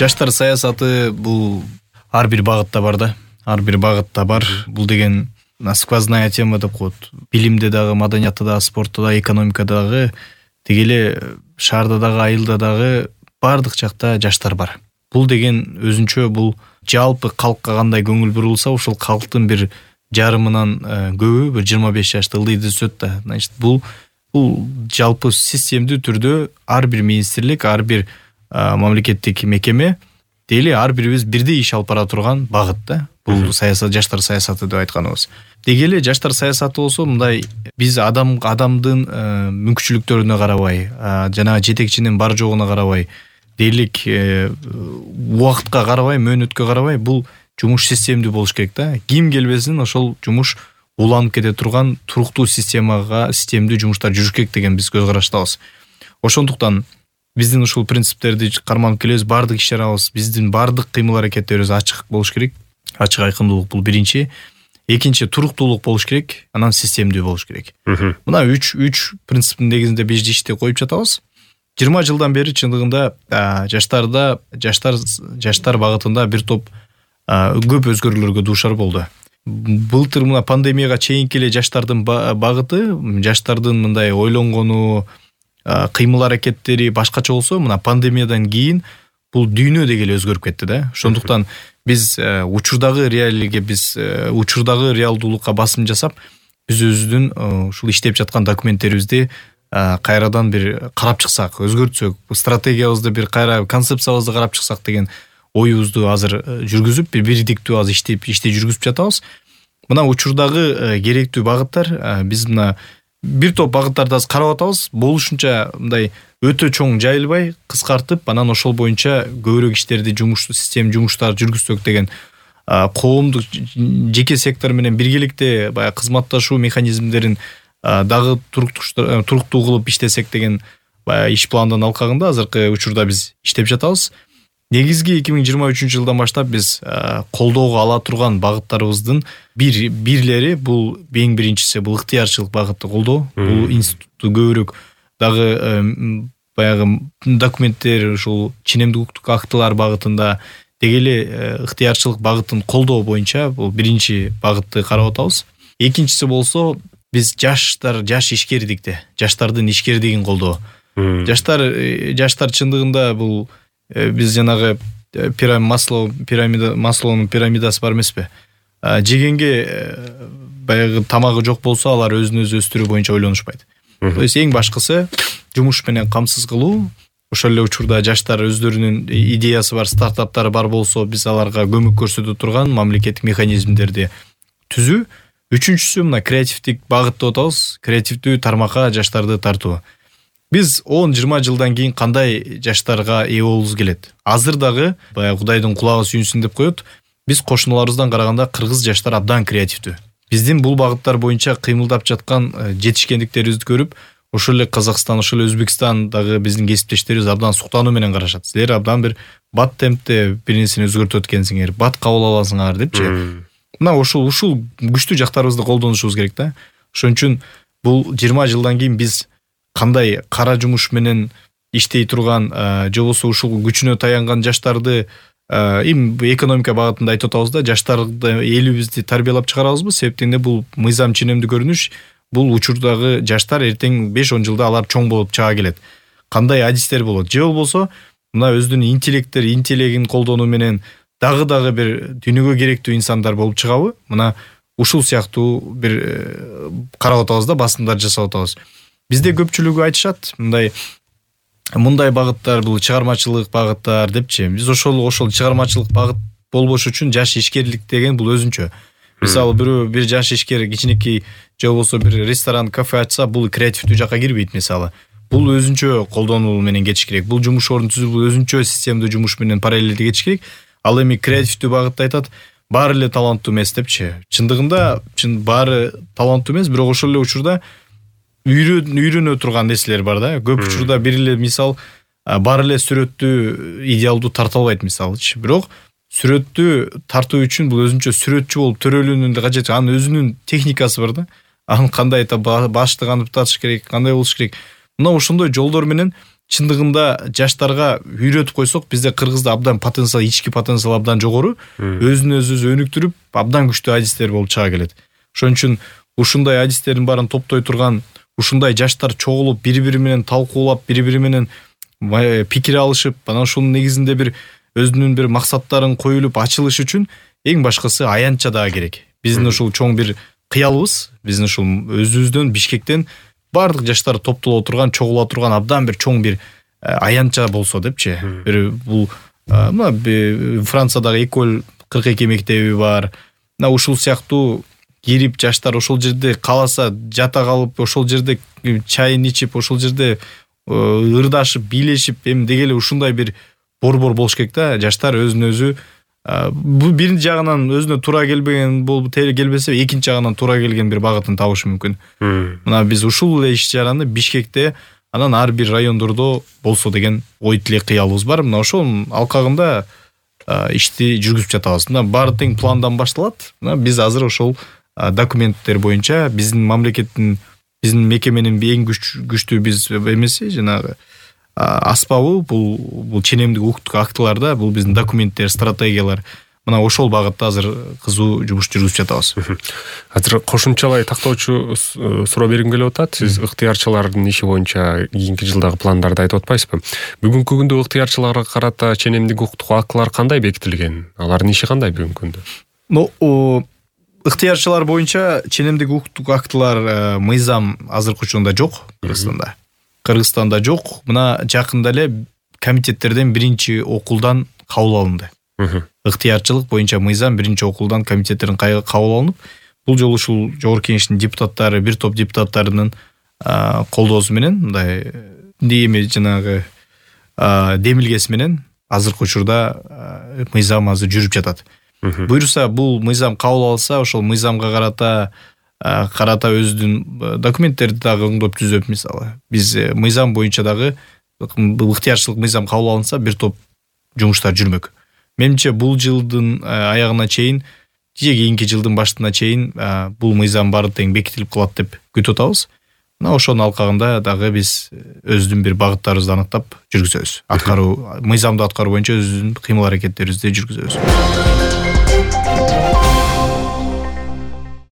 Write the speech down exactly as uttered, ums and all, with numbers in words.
Жаштар саясаты бул ар бир багытта бар да. Ар бир багытта бар. Бул деген сквозная тема деп коет. Билимде дагы, маданиятта дагы, спортто дагы, экономикада дагы, деги эле шаарда дагы, айылда дагы бардык жакта жаштар бар. Бул деген өзүнчө бул жалпы калкка кандай көңүл бурулса, ошол калктын бир жарымынан көбү бир жыйырма беш жашта ылдыйды өсөт да. Значит, бул бул жалпы системдүү түрдө ар бир министрлик, ар бир мамлекеттик мекеме дели ар бирибиз бирдей иш алып бара турган багыт да. Бул саясат, жаштар саясаты деп айтканыбыз. Деги эле жаштар саясаты болсо мындай, биз адам адамдын мүмкүнчүлүктөрүнө карабай, жана жетекчинин бар жогуна карабай, дейлик убакытка карабай, мөөнөткө карабай, бул жумуш системдүү болуш керек да. Ким келбесин ошол жумуш уланып кете турган туруктуу системага, системдүү жумуштар жүрүш керек деген биз көз караштабыз. Ошондуктан биздин ушул принциптерди карманып келебиз, бардык иш-чарабыз, биздин бардык кыймыл-аракеттерибиз ачык болуш керек. Ачык айкындуулук бул биринчи. Экинчи, туруктуулук болуш керек, анан системдүү болуш керек. Мына үч үч принциптин негизинде биз ишти коюп жатабыз. жыйырма жылдан бери чындыгында жаштарда, жаштар жаштар багытында бир топ көп өзгөрүүлөргө дуушар болду. Былтыр мына пандемияга чейинки эле жаштардын багыты, жаштардын мындай ойлонгону, кыймыл-аракеттери башкача болсо, мына пандемиядан кийин бул дүйнө деги эле өзгөрүп кетти да. Ошондуктан биз учурдагы реалиге, биз учурдагы реалдуулукка басым жасап, биз өзүбүздүн ушул иштеп жаткан документтерибизди кайрадан бир карап чыксак, өзгөртсөк, стратегиябызды бир кайра, концепциябызды карап чыксак деген оюбузду азыр жүргүзүп, бир бирдиктүү азыр иштеп ишти жүргүзүп жатабыз. Мына учурдагы керектүү багыттар, биз мына бир топ багыттарды азыр карап атабыз, болушунча мындай өтө чоң жайылбай, кыскартып, анан ошол боюнча көбүрөөк иштерди, жумуш, систем жумуштар жүргүзсөк деген коомдук, жеке сектор менен биргеликте баягы кызматташуу механизмдерин дагы туруктуу кылып иштесек деген баягы иш пландын алкагында азыркы учурда биз иштеп жатабыз. Негизги эки миң жыйырма үчүнчү жылдан баштап биз колдоого ала турган багыттарыбыздын бир бирлери, бул эң биринчиси бул ыктыярчылык багытты колдоо. Бул институтту көбүрөөк дагы баягы документтер, ушул ченемдик укуктук актылар багытында деги эле ыктыярчылык багытын колдоо боюнча бул биринчи багытты карап атабыз. Экинчиси болсо биз жаштар, жаш ишкердикте, жаштардын ишкердигин колдоо. Жаштар жаштар чындыгында бул биз жанагы Маслоу пирамида, Маслоунун пирамидасы бар эмеспи? Жегенге баягы тамагы жок болсо, алар өзүн өзү өстүрүү боюнча ойлонушпайт. То есть эң башкысы жумуш менен камсыз кылуу. Ошол эле учурда жаштар өздөрүнүн идеясы бар, стартаптары бар болсо, биз аларга көмөк көрсөтө турган мамлекеттик механизмдерди түзүү. Үчүнчүсү мына креативдик багыт деп атабыз, креативдүү тармакка жаштарды тартуу. Биз он жыйырма жылдан кийин кандай жаштарга ээ болобуз келет. Азыр дагы баягы Кудайдын кулагы сүйүнсүн деп коет. Биз кошуналарыбыздан караганда кыргыз жаштар абдан креативдүү. Биздин бул багыттар боюнча кыймылдап жаткан жетишкендиктерибизди көрүп, ошол эле Казакстан, ошол эле Өзбекстан дагы биздин кесиптештерибиз абдан суктануу менен карашат. Силер абдан бир бат темпте бир нерсени өзгөртүп өткөнсүңөр, бат кабыл аласыңар депчи. Мына ошол ушул күчтүү жактарыбызды колдонушубуз керек да. Ошон үчүн бул жыйырма жылдан кийин биз кандай кара жумуш менен иштей турган, же болбосо ушул күчүнө таянган жаштарды эми экономика багытында айтып атабыз да, жаштарды, элибизди тарбиялап чыгарабызбы? Себептен бул мыйзам ченемдүү көрүнүш, бул учурдагы жаштар эртең беш он жылда алар чоң болуп чыга келет. Кандай адистер болот? Же болбосо мына өзүнүн интеллекттер, интеллегин колдонуу менен дагы дагы бир дүйнөгө керектүү инсандар болуп чыгабы? Мына ушул сыяктуу бир карап атабыз да, басымдар жасап атабыз. Бизде көпчүлүгү айтышат, мындай мындай багыттар бул чыгармачылык багыттар депчи. Биз ошол ошол чыгармачылык багыт болбош үчүн жаш ишкерлик деген бул өзүнчө. Мисалы бирөө бир жаш ишкер кичинекей же болбосо бир ресторан, кафе ачса, бул креативдүү жакка кирбейт мисалы. Бул өзүнчө колдонуу менен кетиш керек. Бул жумуш ордун түзүп, бул өзүнчө системдүү жумуш менен параллелдүү кетиш керек. Ал эми креативдүү багытта айтат, баары эле таланттуу эмес депчи. Чындыгында чын баары таланттуу эмес, бирок ошол эле учурда үйрөнө турган нерселер бар да. Көп учурда бир эле мисал баары эле сүрөттү идеалдуу тарта албайт мисалычы. Бирок сүрөттү тартуу үчүн бул өзүнчө сүрөтчү болуп төрөлүүнүн да кажети, анын өзүнүн техникасы бар да. Анын кандай баштык аны татыш керек, кандай болуш керек. Мына ошондой жолдор менен чындыгында жаштарга үйрөтүп койсок, бизде Кыргызда абдан потенциал, ички потенциал абдан жогору, өзүн өзүбүз өнүктүрүп, абдан күчтүү адистер болуп чыга келет. Ошон үчүн ушундай адистердин баарын топтой турган, ушундай жаштар чогулуп, бири-бири менен талкуулап, бири-бири менен пикир алышып, анан ушунун негизинде бир өзүнүн бир максаттарын коюлуп ачылыш үчүн эң башкысы аянтча дагы керек. Биздин ушул чоң бир кыялыбыз, биздин ушул өзүбүздөн Бишкектен бардык жаштар топтоло турган, чогула турган абдан бир чоң бир аянтча болсо депчи. Бир бул мына Франциядагы Эколь кырк эки мектеби бар. Мына ушул сыяктуу кирип жаштар ошол жерде кааласа жата калып, ошол жерде чайын ичип, ошол жерде ырдашып, бийлешип, эми дегеле ушундай бир борбор болуш керек да. Жаштар өзүн өзү бул биринчи жагынан өзүнө туура келбеген болуп келбесе, экинчи жагынан туура келген бир багытын табышы мүмкүн. Мына биз ушул эле иш чараны Бишкекте, анан ар бир райондордо болсо деген ой тилек кыялыбыз бар. Мына ошол алкагында ишти жүргүзүп жатабыз. Мына баары тең пландан башталат. Мына биз азыр ошол документтер боюнча биздин мамлекеттин, биздин мекеменин эң күчтүү биз эмеси, жанагы аспабы, бул бул ченемдик укуктук актыларда бул биздин документтер, стратегиялар. Мына ошол багытта азыр кызуу жумуш жүргүзүп жатабыз. Азыр кошумчалай тактоочу суроо бергим келип атат. Сиз ыктыярчылардын иши боюнча кийинки жылдагы пландарды айтып атпайсызбы? Бүгүнкү күндө ыктыярчыларга карата ченемдик укуктук актылар кандай бекитилген? Алардын иши кандай бүгүнкү күндө? Ну, ыктыярчылар боюнча ченемдик укуктук актылар мыйзам азыркы учурда жок Кыргызстанда. Кыргызстанда жок. Мына жакында эле комитеттерден биринчи окулдан кабыл алынды. Ыктыярчылык боюнча мыйзам биринчи окулдан комитеттерден кабыл алынып, бул жолу ушул жогорку кеңештин депутаттары, бир топ депутаттарынын колдоосу менен, мындай эми жанагы демилгеси менен азыркы учурда мыйзам азыр жүрүп жатат. Буюрса, бул мыйзам кабыл алса, ошол мыйзамга карата карата өзүнүн документтерди дагы оңдоп түзөп, мисалы биз мыйзам боюнча дагы ыктыярчылык мыйзам кабыл алынса, бир топ жумуштар жүрмөк. Менимче бул жылдын аягына чейин, же кийинки жылдын башына чейин бул мыйзам баары тең бекитилип калат деп күтүп атабыз. Мына ошонун алкагында дагы биз өзүнүн бир багыттарыбызды аныктап жүргүзөбүз. Аткаруу, мыйзамды аткаруу боюнча өзүнүн кыймыл аракеттерибизди жүргүзөбүз.